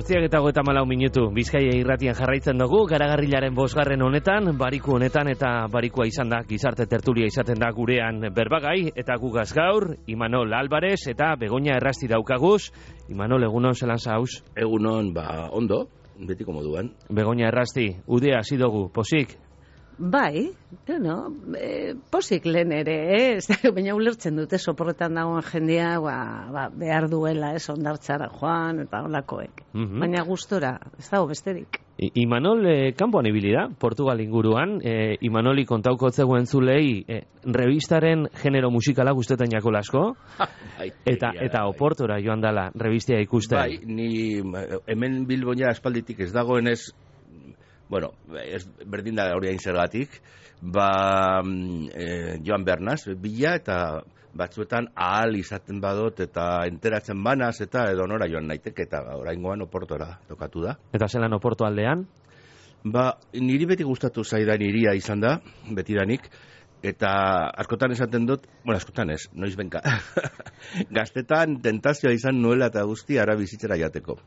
8:34 Bizkaia irratian jarraitzen dugu, Garagarrilaren 5. honetan, bariku honetan eta barikua izan da, gizarte tertulia izaten da gurean berbagai, eta gugaz gaur, Imanol Álvarez eta Begoña Errasti daukaguz. Imanol, egunon zelan zauz? Egunon, ondo, betiko moduan. Begoña Errasti, udea hasi dugu, posik? Bai, posik lehen ere, baina ulertzen dute soporretan dagoen jendea, behar duela, ondartzara joan, eta holakoek. Baina gustora, ez dago besterik. Imanol, kanpoan ibili da, Portugal inguruan, Imanoli kontauko zegoen zulei, revistaren genero musikala guztetan jako lasko, eta Oportora joan dala, revistia ikusten. Bai, ni hemen Bilboña aspalditik ez dagoenez, bueno, berdin da hori hain zergatik, joan bernaz, bila eta batzuetan ahal izaten badot eta enteratzen banaz eta edo nora joan naiteke eta oraingoan Oportora tokatu da. Eta zelan Oporto aldean? Niri beti gustatu zaidan hiria izan da, betidanik, eta askotan esaten dut, askotan ez, noiz benka, gaztetan tentazioa izan nuela eta guzti ara bizitzera jateko.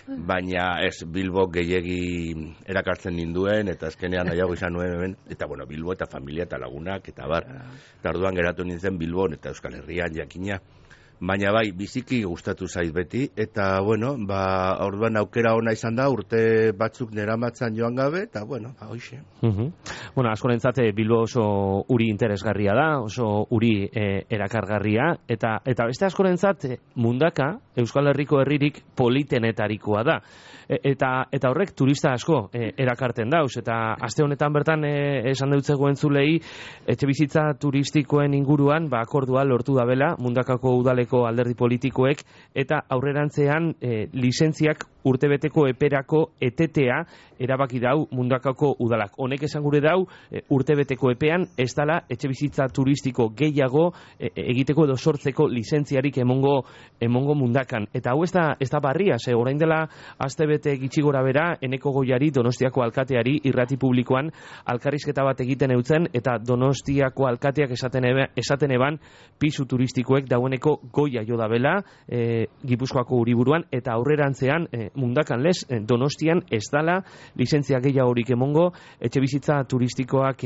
Baina ez, Bilbo gehiegi erakartzen ninduen, eta azkenean nahiago izan nuen, eta Bilbo eta familia eta lagunak, eta eta orduan geratu nintzen Bilbon eta Euskal Herrian jakina. Baina bai, biziki gustatu zait beti, eta orduan aukera ona izan da, urte batzuk neramatzan joan gabe, eta hoxe. Askorentzat Bilbo oso uri interesgarria da, oso uri erakargarria, eta beste askorentzat mundaka, Euskal Herriko herririk politenetarikoa da. Eta horrek turista asko erakarten dauz, eta aste honetan bertan esan deutzegoen zulei, etxebizitza turistikoen inguruan, akordua lortu dabela, mundakako udaleko alderdi politikoek, eta aurrerantzean lizentziak urtebeteko eperako etetea erabaki dau mundakako udalak. Honek esan gure dau, urtebeteko epean ez dala etxebizitza turistiko gehiago egiteko edo sortzeko lizentziarik emongo mundakan. Eta hau ez da barria, orain dela astebete gitxi gora bera, Eneko Goiari, Donostiako alkateari, irrati publikoan alkarrizketa bat egiten eutzen, eta Donostiako alkateak esaten eban pisu turistikoek daueneko goia jo dabela, Gipuzkoako Uriburuan, eta aurrerantzean mundakan lez, Donostian ez dala lizentzia gehiagorik emongo etxebizitza turistikoak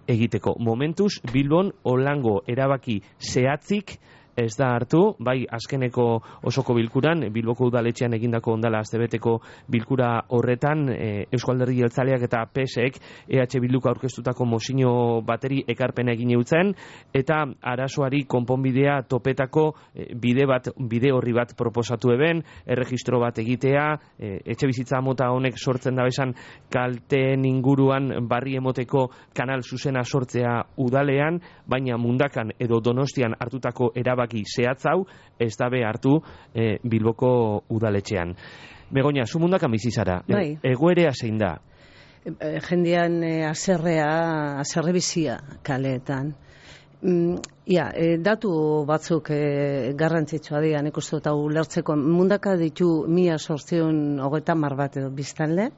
egiteko. Momentuz, Bilbon holango erabaki zehatzik ez da hartu, bai azkeneko osoko bilkuran, Bilboko udaletxean egindako ondala astebeteko bilkura horretan, Eusko Alderdi Jeltzaleak eta PSek EH Bilduko aurkeztutako mozio bateri ekarpena egin eutzen, eta arazoari konponbidea topetako bide horri bat proposatu eben, erregistro bat egitea, etxebizitza mota honek sortzen da besan kalteen inguruan barri emoteko kanal zuzena sortzea udalean, baina mundakan edo Donostian hartutako erabaki zehatzau ez dabe hartu Bilboko udaletxean. Begoña, zu mundakan bizi zara. Egoerea zein da? Jendean haserre bizia kaleetan. Datu batzuk garrantzitsua dira, nik uste dut ulertzeko. Mundaka ditu 1830 bat edo biztanle,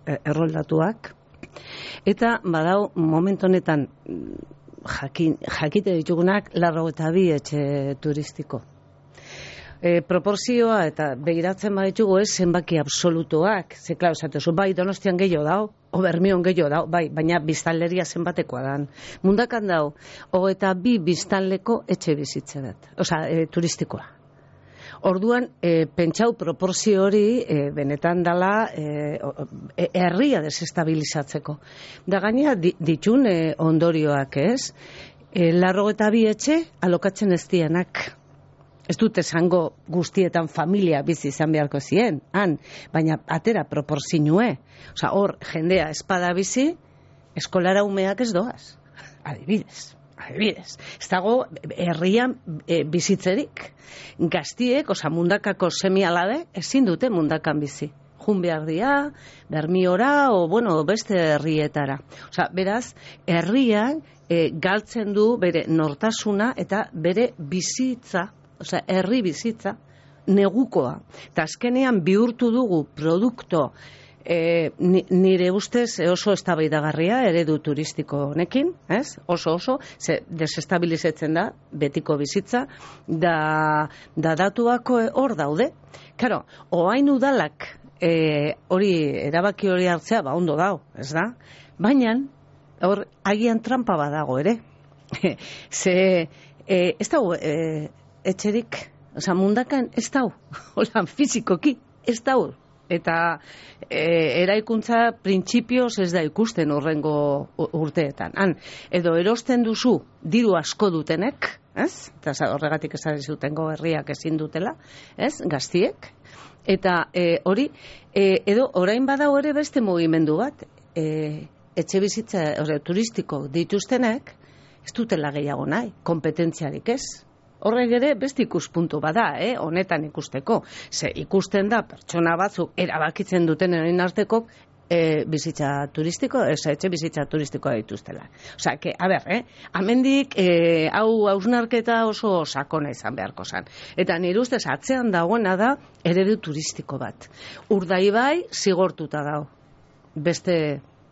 erroldatuak, eta badau momentu honetan jakite ditugunak 82 etxe turistiko. Proporzioa eta begiratzen baditugu ez zenbaki absolutoak, ze klar, esatezu, bai Donostian gehiago dau, o Bermion gehiago dau, bai, baina biztanleria zenbatekoa dan. Mundakan dau, 22 biztanleko etxe bizitze bat, turistikoa. Orduan, pentsau proporzio hori benetan dala herria desestabilizatzeko. Da gaina ditun ondorioak ez, 82 etxe alokatzen ez dianak. Ez dut esango guztietan familia bizi izan beharko zien, baina atera proporzinue. Hor, jendea espada bizi, eskolara umeak ez doaz. Adibidez. Ez dago herrian bizitzerik. Gaztiek, mundakako semialade, ezin dute mundakan bizi. Jun behar dia, Bermiora, beste herrietara. Beraz, herrian galtzen du bere nortasuna eta bere bizitza, herri bizitza, negukoa. Eta azkenean bihurtu dugu produkto nire ustez oso eztabaidagarria eredu turistiko honekin, ez? Oso, desestabilizatzen da betiko bizitza, da datuak hor daude. Claro, oain udalak hori erabaki hori hartzea, ondo dago, ez da? Baina, hor, agian trampa badago ere. Ze, ez dago, etxerik, oza, mundakan ez dago, holan, fizikoki, ez dago. Eta eraikuntza printzipioz ez da ikusten horrengo urteetan. Edo erosten duzu diru asko dutenek, ez? Eta horregatik esan zutengo herriak ezin dutela, ez? Gaztiek. Eta hori, edo orain badago ere beste mugimendu bat, etxe bizitza turistiko dituztenek, ez dutela gehiago nahi, kompetentziarik ez. Horrek ere beste ikuspuntu bada, honetan ikusteko. Ze ikusten da pertsona batzuk erabakitzen duten erain arteko bizitza turistiko, etxe bizitza turistikoa dituztela. Osea, a ber, amendik hau hausnarketa oso sakona izan beharko zan. Eta nire ustez atzean dagoena da eredu turistiko bat. Urdaibai zigortuta dago.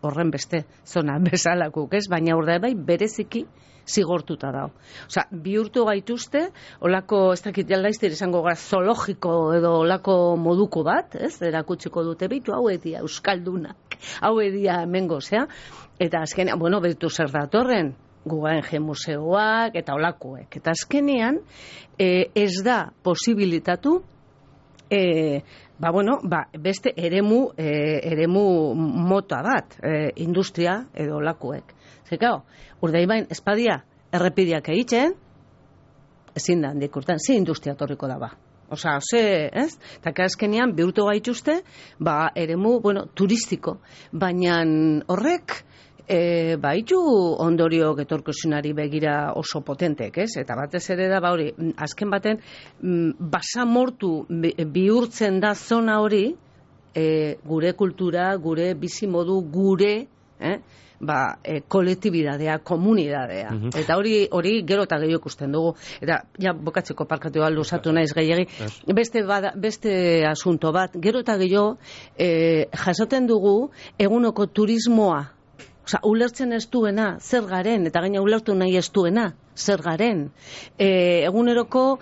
Horren beste zona bezalakuk, ez? Baina Urdaibai bereziki zigortuta dago. Osea, bihurtu gaituzte, olako, ez dakit jalaiztir izango gara, zoologiko edo olako moduko bat, ez? Erakutsiko dute bitu, hau edia euskaldunak, hau edia hemengo, zea? Eta azkenean, bueno, betu zer datorren, Guggenheim museoak eta olakoek. Eta azkenean, ez da posibilitatu beste eremu mota bat, industria edo lakuek. Zekao, Urdaibain espadia errepideak egiten, ezin da handik urtean, ze industria torriko da ba. Osa, ez? Eta azkenean bihurtu gaituzte, eremu, turistiko. Baina horrek, baitu ondorio etorkizunari begira oso potentek, ez? Eta batez ere da, hori, azken baten, basamortu bihurtzen da zona hori, gure kultura, gure bizimodu, gure, kolektibidadea, komunidadea. Eta hori gero eta gehiago ikusten dugu. Eta, bokatzeko parkatu luzatu naiz gehiagi. Beste asunto bat, gero eta gehiago jasoten dugu egunoko turismoa. Osa, ulertzen ez duena, zer garen, eta gaina ulertu nahi ez duena, zer garen. Eguneroko,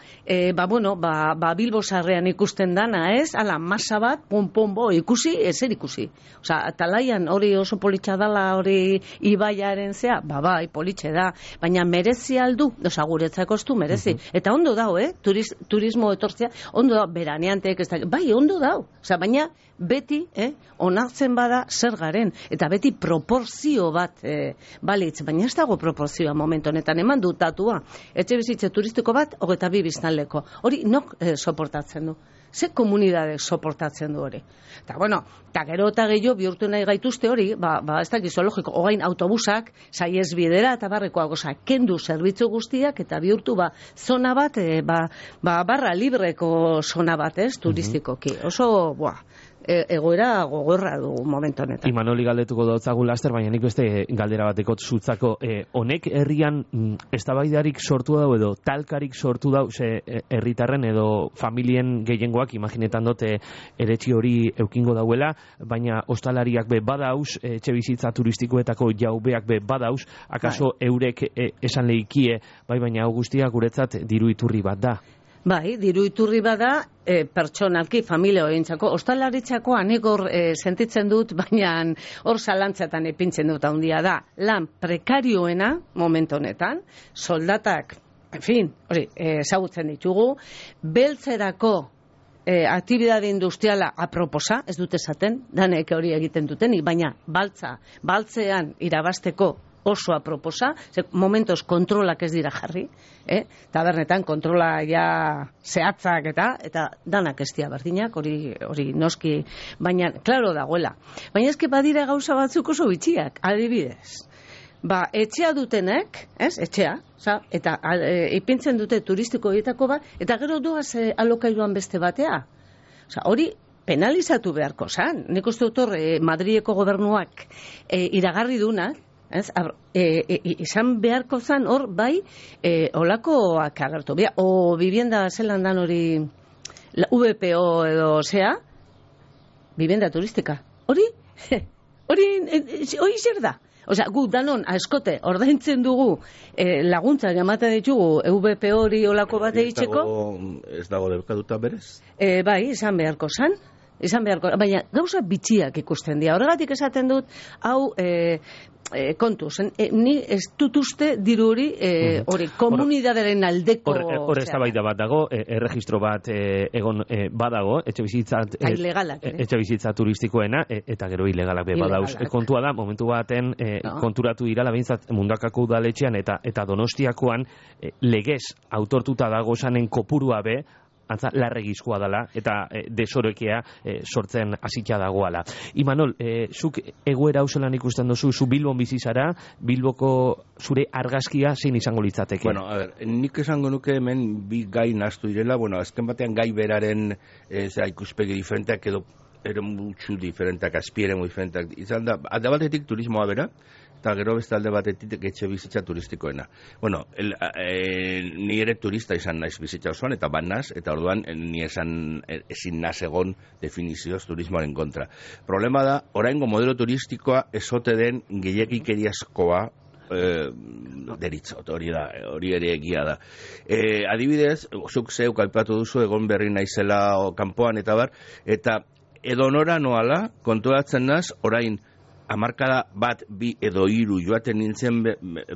Bilbo sarrean ikusten dana, ez? Ala, masa bat, ikusi, ezer ikusi. Osa, talaian hori oso politxa dala, hori ibaiaren zea, bai, politxe da, baina merezi aldu, osa, guretzako ez du merezi. Eta ondo dao, turismo etortzea, ondo dao, beraneantek, bai, ondo dao. Osa, baina, beti, onartzen bada zer garen, eta beti proporzio bat balitz, baina ez dago proporzioa momentu honetan, eman dut datua, etxe bizitze turistiko bat, 22 biztanleko. Hori nok soportatzen du? Ze komunidade soportatzen du hori? Eta, eta gero eta gehiago bihurtu nahi gaituzte hori, ez dakiz zoologiko, ogain autobusak, saiez bidera eta barrekoa goza, kendu zerbitzu guztiak, eta bihurtu zona bat, barra libreko zona bat, ez, turistikoki. Oso, egoera gogorra du momentu honetan. Imanoli galdetuko dautzagu laster, baina nik beste galdera bateko zutzako. Honek herrian eztabaidarik sortu dau edo talkarik sortu dau herritarren edo familien gehiengoak imaginetan dute eretxi hori eukingo dauela, baina ostalariak badauz, etxe bizitza turistikoetako jaubeak badauz, akaso eurek esan lehikie, baina guztiak guretzat diru iturri bat da. Bai, diru iturri bada, pertsonalki, familia horientzako, ostalaritzako anegor sentitzen dut, baina hor zalantzatan epintzen dut handia da. Lan prekarioena, momentu honetan, soldatak, hori, ezagutzen ditugu, beltzerako aktibidade industriala aproposa, ez dut esaten, danek hori egiten dutenik, baina baltzean irabasteko oso aproposa, momentos kontrolak ez dira jarri, tabernetan kontrola ja zehatzak eta danak ez dira berdinak, hori noski, baina, klaro dagoela. Baina eske badira gauza batzuk oso bitxiak, adibidez. Etxea dutenek, etxea, eta ipintzen dute turistiko dietako bat, eta gero doaz alokailuan beste batea. Hori penalizatu beharko zan. Nik uste dut Madrileko gobernuak iragarri duna, izan beharko zan hor bai olakoak agertu. O vivienda zelan dan hori VPO edo zea, vivienda turistika. Hori zer da? Osea, gu danon askote ordaintzen dugu laguntza jamate ditugu VPO hori olako bat egiteko. Ez dago debekatuta berez? Bai, izan beharko zan. izan beharko, baina gauza bitxiak ikusten dira. Horregatik esaten dut, hau kontuz, ni ez dut uste diru hori komunidaderen aldeko... Hor eztabaida bat dago, erregistro bat egon badago, etxebizitza turistikoena, eta gero ilegalak be badauz. Kontua da, momentu baten konturatu irala behintzat Mundakako udaletxean eta Donostiakoan legez autortuta dago zanen kopurua be, antza larregizkoa dela eta desorekea sortzen hasita dagoala. Imanol, zuk egoera hauzelan ikusten duzu, zu Bilbon bizi zara, Bilboko zure argazkia zein izango litzateke? Bueno, a ver, nik esango nuke hemen bi gai nahastu direla, bueno, azken batean gai beraren ikuspegi diferenteak edo eremutxu diferenteak, azpieremu diferenteak izan da, alde batetik turismoa bera, eta gero beste alde batetik etxe bizitza turistikoena. Bueno, ni ere turista izan naiz bizitza osoan, eta banaz, eta orduan ni ezin naz egon definizioz turismoaren kontra. Problema da, oraingo modelo turistikoa esote den gehiagikeriazkoa deritzot, hori ere egia da. Adibidez, zuk zeuk aipatu duzu, egon berri naizela kanpoan eta bar, eta edonora noala, kontuatzen naz, orain, hamarkada bat, bi edo hiru joaten nintzen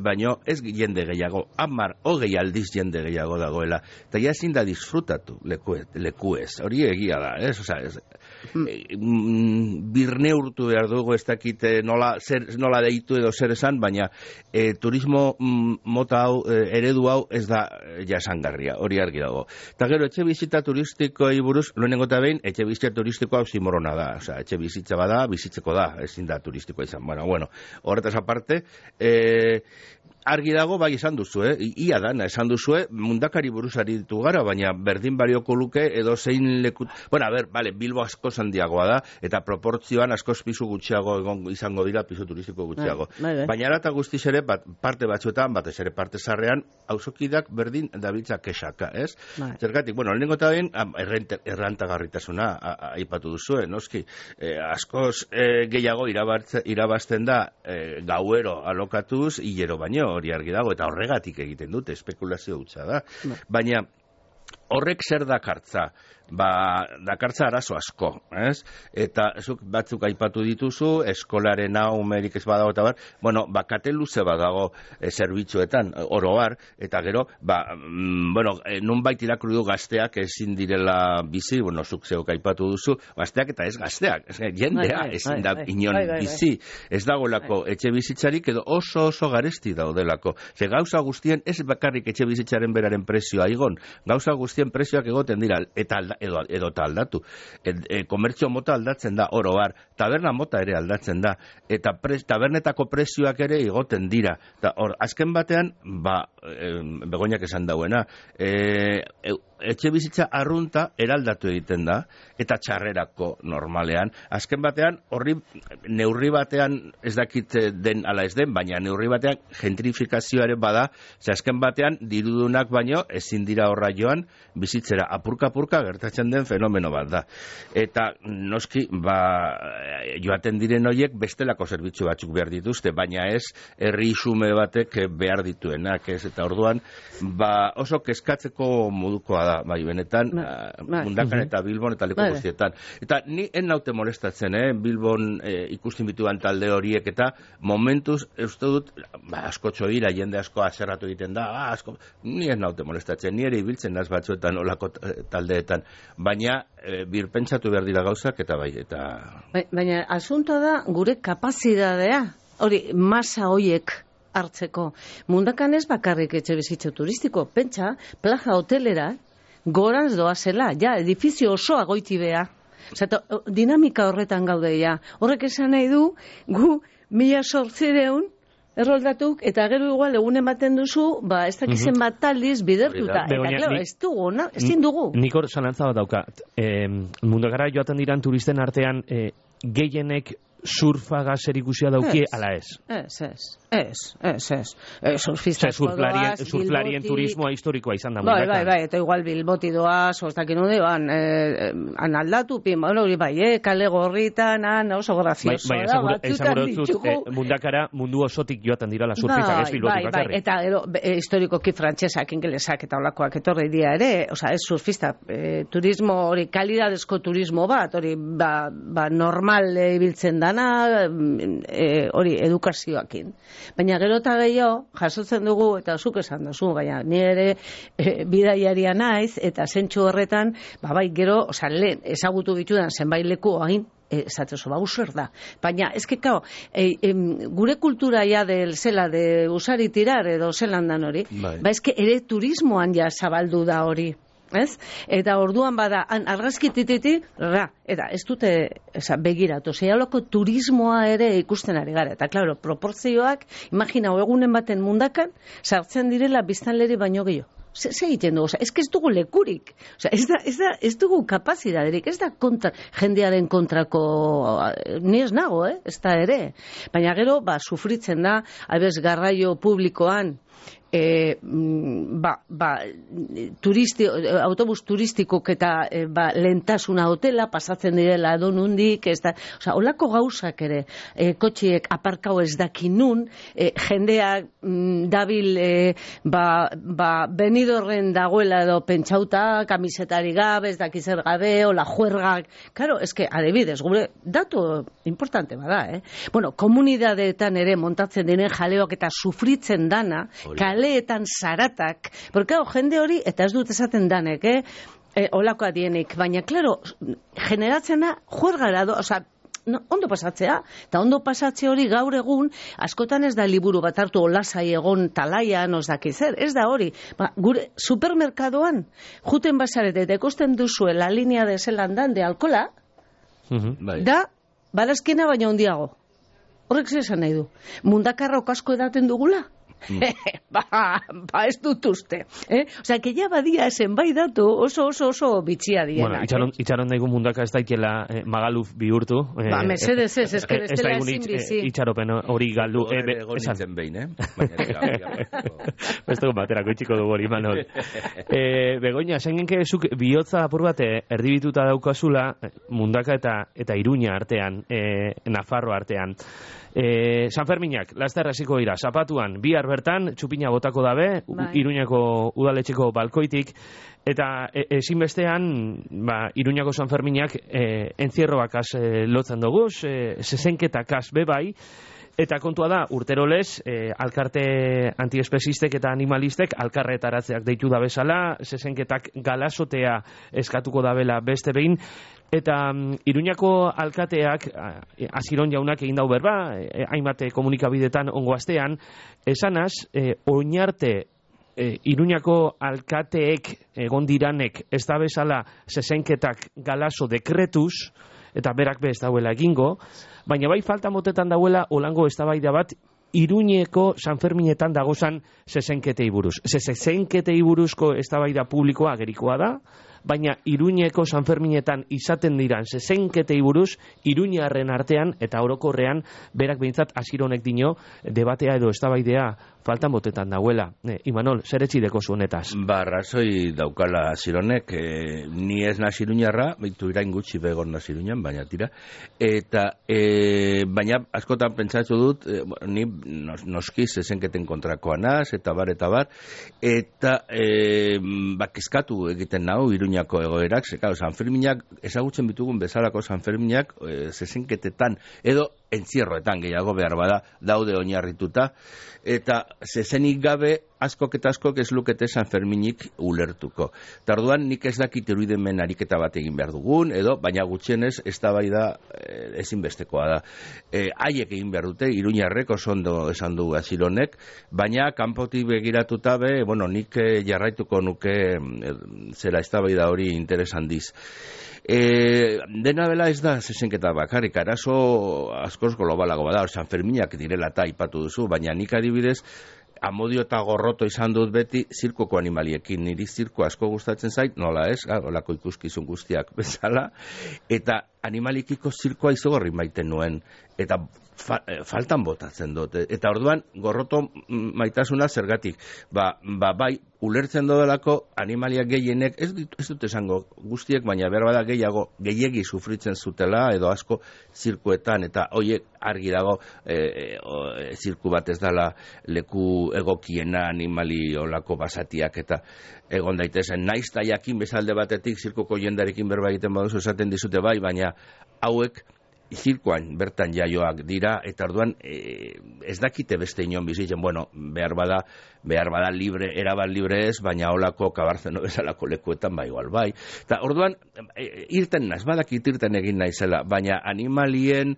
baino ez jende gehiago, 10, 20 aldiz jende gehiago dagoela. Eta ja ezin da disfrutatu lekuez. Hori egia da, ez? Osa, birne urtu behar dugu, ez dakit nola deitu edo zer esan, baina turismo mota hau, eredu hau ez da jasangarria, hori argi dago. Eta gero, etxe bizitza turistikoei buruz, lehenengo eta behin, etxe bizitza turistikoa osimorona da. Osa, etxe bizitza bada, bizitzeko da, ezin da turistikoa izan. Bueno, horretaz aparte, argi dago, bai esan duzu, ia dana esan duzu, Mundakari buruzari ditu gara, baina berdin balioko luke edo zein lekut... Bueno, a ber, vale, Bilbo asko handiagoa da, eta proportzioan askoz pisu gutxiago izango dira, pisu turistiko gutxiago. Baina arata guztiz ere, parte batzuetan, batez ere parte zarrean, auzokidak berdin dabiltza kexaka, ez? Zergatik, bueno, lehenengo eta behin, errantagarritasuna aipatu duzu, noski, askoz gehiago irabazten da gauero alokatuz, hilero baino, hori argi dago, eta horregatik egiten dute, espekulazio hutsa da. Baina horrek zer dakartza? Dakartza arazo asko, ez? Eta batzuk aipatu dituzu, eskolaren umerik ez badago eta bar, bueno, kate luze badago zerbitzuetan, oroar, eta gero, bueno, nunbait irakurri du gazteak ezin direla bizi, bueno, zuk zeok aipatu duzu, gazteak eta ez gazteak, jendea ezin da inon bizi, ez dagoelako etxe bizitzarik edo oso garesti daudelako. Ze gauza guztien, ez bakarrik etxe bizitzaren beraren prezioa igon, gauza guztien prezioak egoten dira, eta edo aldatu. Komertzio mota aldatzen da, oro har, taberna mota ere aldatzen da, eta tabernetako prezioak ere igoten dira. Eta hor, azken batean, Begoñak esan dauena, etxe bizitza arrunta eraldatu egiten da, eta txarrerako normalean. Azken batean, horri neurri batean, ez dakit den ala ez den, baina neurri batean gentrifikazioare bada, ze azken batean, dirudunak baino, ezin dira horra joan, bizitzera apurka gertatzen den fenomeno bat da. Eta noski, joaten diren horiek bestelako zerbitzu batzuk behar dituzte, baina ez herri xume batek behar dituenak, ez? Eta orduan, oso kezkatzeko modukoa da, benetan, Mundakan eta Bilbon eta leku guztietan. Eta ni naute molestatzen, Bilbon ikusten bituan talde horiek eta momentuz, uste dut, askotxo dira, jende asko aserratu egiten da, ni naute molestatzen, ni ere ibiltzen naz batzuetan olako taldeetan, baina birpentsatu behar dira gauzak eta bai, eta... Baina asuntoa da gure kapazidadea, hori, masa hoiek hartzeko. Mundakan ez bakarrik etxe bizitza turistiko, pentsa, plaza hotelera, gorantz doazela, edifizio osoa goiti bea. Dinamika horretan gaude, Horrek esan nahi du, gu 1800 erroldatuk, eta gero igual egun ematen duzu, ez dakizen bat taldiz bidertuta. Eta, ez dugu, ezin dugu. Nik hor zalantza bat daukat. Mundakara joaten diran turisten artean, gehienek surfaga zerikusia dauki, ala ez? Surfista surflarien turismoa historikoa izan da. Bai, eta igual Bilboti doaz, oztakin nude, han aldatu, hori bai, kale gorritan, oso grazioso. Bai, esan mundakara mundu osotik joaten dirala surfistak, ez Bilboti bakarrik. Eta historikoki frantsesak, ingelesak eta olakoak etorri dira ere, ez surfista, turismo hori, kalidadezko turismo bat, hori normal ibiltzen dana, hori edukazioakin. Baina gero eta gehiago, jasotzen dugu, eta zuk esan duzu, baina ni ere bidaiaria naiz, eta zentsu horretan, bai gero, lehen, ezagutu bitudan zenbait leku hain, esatezu, zer da. Baina, gure kultura ja zela de usari tirar edo zelandan hori, ere turismoan ja zabaldu da hori. Ez? Eta orduan bada, argazki tititi, eta ez dute begiratu, zeialoko turismoa ere ikusten ari gara. Eta, klaro, proporzioak, imaginau, egunen baten mundakan, sartzen direla biztanleri baino gehiago. Ze egiten dugu, ez dugu lekurik, ez dugu kapazidaderik, ez da jendearen kontrako, ni ez nago, ez da ere. Baina gero, sufritzen da, garraio publikoan, autobus turistikok eta lehentasuna hotela pasatzen direla edonundik, holako gauzak ere, kotxiek aparkau ez dakinun, jendeak dabil Benidorren dagoela edo pentsauta, kamisetari gabe, ez dakizer gabe, ola juergak, karo, adibidez, gure datu importante bada, Bueno, komunidadeetan ere montatzen diren jaleoak eta sufritzen dana, kaleetan zaratak, porque jende hori, eta ez dut esaten danek, olako adienik, baina, klaro, generatzena juergara, ondo pasatzea, eta ondo pasatze hori gaur egun, askotan ez da liburu bat hartu olasai egon talaian, zer, ez da hori. Gure supermerkadoan, juten basarete, eta ikusten duzue la linea de Zelandan de alkola, da, barazkena baina handiago. Horrek zesan nahi du. Mundakarra okasko edaten dugula? Ez dut uste. Que ya badia zenbait datu oso bitxia dienak. Bueno, itxaron daigun mundaka ez daikela Magaluf bihurtu. Mesedez ez, que bestela ezin bizi. Itxaropen hori galdu. Egon behin, Beste baterako itxiko dugu hori, Manol. Begoña, esan genke zuk bihotza apur bat erdibituta daukazula mundaka eta Iruña artean, Nafarro artean. San Ferminak, laster hasiko dira, zapatuan, bihar bertan, txupina botako dabe, Iruñako udaletxeko balkoitik, eta ezinbestean, Iruñako San Ferminak entzierroakaz lotzen dugu, zezenketakaz bebai, eta kontua da, urterolez, alkarte antiespezistek eta animalistek alkarretaratzeak deitu da bezala, zezenketak galasotea eskatuko dabela beste behin, eta Iruñako alkateak, Aziron jaunak egin dau berba, hainbat komunikabidetan ongo astean, esanaz, oinarte Iruñako alkateek egon diranek ez da bezala zezenketak galaso dekretuz, eta berak be ez dauela egingo, baina bai falta motetan dauela olango eztabaida bat Iruñeko San Ferminetan dagozan zezenketei buruz. Zezenketei buruzko eztabaida publikoa agerikoa da, baina Iruñeko San Ferminetan izaten diran zezenketei buruz Iruñarren artean eta orokorrean berak behintzat Azironek dino debatea edo eztabaidea faltan botetan dauela. Imanol, zer etxideko zuenetaz? Razoi daukala Azironek, ni ez naz Iruñarra, baitu irain gutxi begon naz Iruñan, baina tira, eta baina askotan pentsatu dut, ni noski zezenketen kontrakoa naz, eta bar, eta kezkatu egiten nau Iruñako egoerak, San Ferminak, ezagutzen bitugun bezalako San Ferminak, zezenketetan, edo entzierroetan gehiago behar bada, daude oinarrituta, eta zezenik gabe askok eta askok ez lukete San Ferminik ulertuko. Tarduan nik ez dakit irudimen ariketa bat egin behar dugun, edo, baina gutxienez eztabaida ezinbestekoa da. Haiek egin behar dute, Iruñarrek oso ondo esan du Azironek, baina kanpotik begiratuta be, nik jarraituko nuke zera eztabaida hori interesan diz. Dena bela ez da zezenketa bakarrik, arazo askoz globalago bada, San Ferminak direla eta aipatu duzu, baina nik adibidez amodio eta gorroto izan dut beti zirkoko animaliekin, niri zirko asko gustatzen zait, nola ez, olako ikuskizun guztiak bezala, eta animalikiko zirkoa izogorri maiten nuen, eta faltan botatzen dut. Eta orduan, gorroto maitasuna zergatik. Bai, ulertzen dodelako animaliak gehienek, ez dut esango guztiek, baina behar bada gehiegi sufritzen zutela, edo asko zirkuetan, eta hoiek argi dago zirku bat ez dela leku egokiena animali olako basatiak, eta egon daitezen, naiz ta jakin bezalde batetik zirkoko jendarekin berba egiten baduzu esaten dizute bai, baina hauek zirkoan bertan jaioak dira, eta orduan ez dakite beste inon bizitzen, bueno, behar bada libre, erabat libre ez, baina holako kabarzeno bezalako lekuetan bai igual bai. Eta orduan, irten naiz, badakit irten egin naizela, baina animaliekin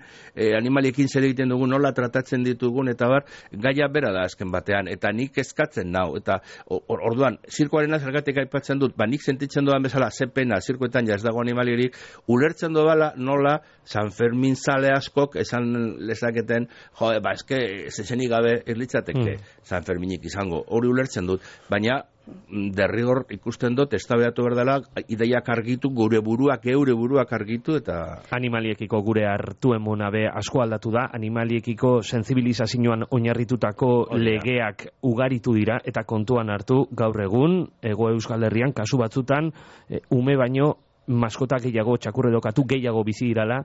zer egiten dugun, nola tratatzen ditugun, eta bar, gaia bera da azken batean, eta nik eskatzen nau, eta orduan, zirkoaren zergatik aipatzen dut, nik sentitzen dudan bezala, ze pena, zirkoetan ja ez dago animalierik, ulertzen dudala nola San Fermin zale askok esan lezaketen, eske zezenik gabe erlitzateke San Ferminik izango, hori ulertzen dut, baina derrigor ikusten dut, eztabaidatu behar dela, ideiak argitu, geure buruak argitu, eta... Animaliekiko gure hartu emona be asko aldatu da, animaliekiko sensibilizazioan oinarritutako legeak ugaritu dira, eta kontuan hartu gaur egun, Hego Euskal Herrian, kasu batzutan, ume baino, maskotak gehiago, txakurredokatu gehiago bizi dirala,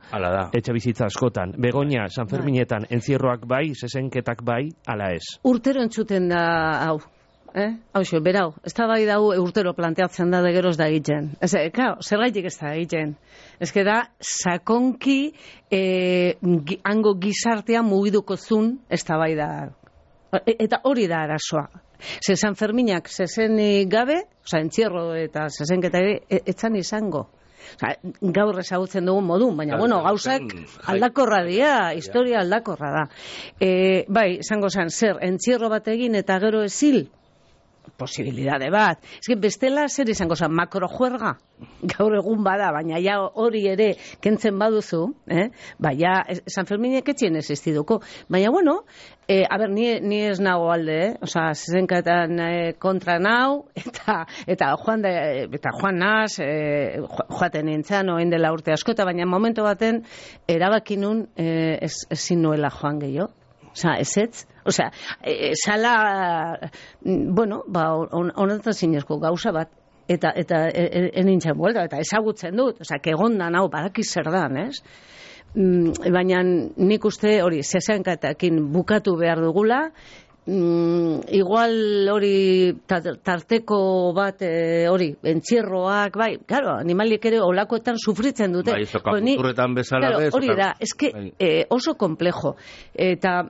etxe bizitza askotan. Begoña, San Ferminetan, enzierroak bai, zezenketak bai, ala ez. Urtero entzuten da, hau. Hauxo, berau, ez da bai dau urtero planteatzen da de geroz da egiten. Zergaitik ez da egiten. Ez da, sakonki hango gizartea mugiduko zun, ez da bai da. Eta hori da arazoa. San Ferminak zezenik gabe, entzierro eta zezenketa etzan izango. Gaur ezagutzen dugun modun, baina gauzak aldakorra dira, historia aldakorra da. Bai, izango zen, zer, entzierro bat egin eta gero ezil, posibilidade bat. Bestela zer izango zen, makrojuerga, gaur egun bada, baina ja hori ere kentzen baduzu, baina San Ferminek etxien existiduko. Baina, ni ez nago alde, zezenketan kontra nau, eta joan naz, joaten nintzen, oen dela urte askota, baina momentu baten erabakinun ezin nuela joan gehiago. Ezetz, sala, honetan zinezko gauza bat, eta enintzen buelta, eta ezagutzen dut, kegondan hau badakiz zer dan, ez? Baina nik uste hori zezenketakin bukatu behar dugula, igual hori tarteko bat hori, entzierroak, bai, claro, animaliek ere olakoetan sufritzen dute. Bai, zokaputurretan bezala bez. Hori da, oso komplejo. Eta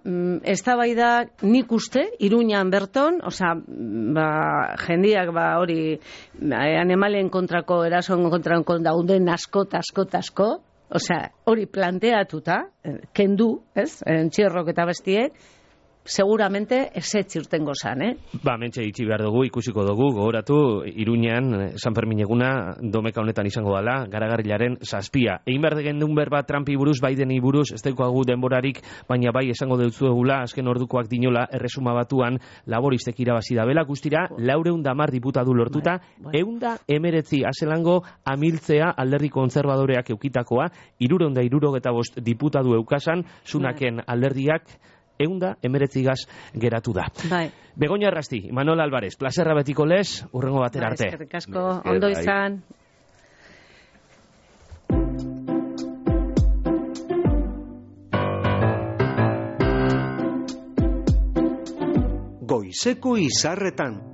ez da bai da nik uste, Iruñan berton, jendiak hori, animalien kontrako, erasoen kontrako dauden asko, hori planteatuta, kendu, ez, entzierrok eta bestiek, seguramente ezetz urtengo zan, Mentxe itxi behar dugu, ikusiko dugu, gogoratu, Iruñan, San Fermin eguna, domeka honetan izango dela, Garagarrilaren 7. Egin behar degen duen berba Trumpi buruz, Bideni buruz, ez daukagu denborarik, baina bai esango deutzu egula, azken ordukoak dinola, erresuma batuan, laboristek irabazi da bela, guztira, 410 diputatu lortuta, 119 azelango amiltzea alderdi kontserbadoreak eukitakoa, 375 diputatu eukasan, Sunaken alderdiak, 119 gaz geratu da. Begoña Arrasti, Manuel Álvarez, plazerra betiko lez, urrengo batera arte. Eskerrik asko, ondo izan. Goizeko izarretan.